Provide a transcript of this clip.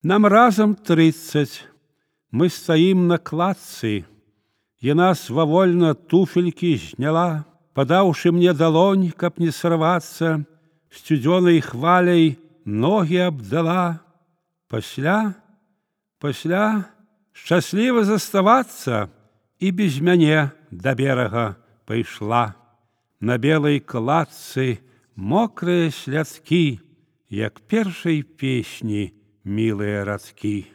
Нам разам 30. Мы стаім на кладцы. Яна свавольна туфелькі зняла, падаўшы мне далонь, каб не сарвацца, сцюдзёнай хваляй ногі абдала. Пасля шчасліва заставацца і без мяне да берага пайшла. На белай кладцы мокрыя слядкі, як першай песні мілыя радкі.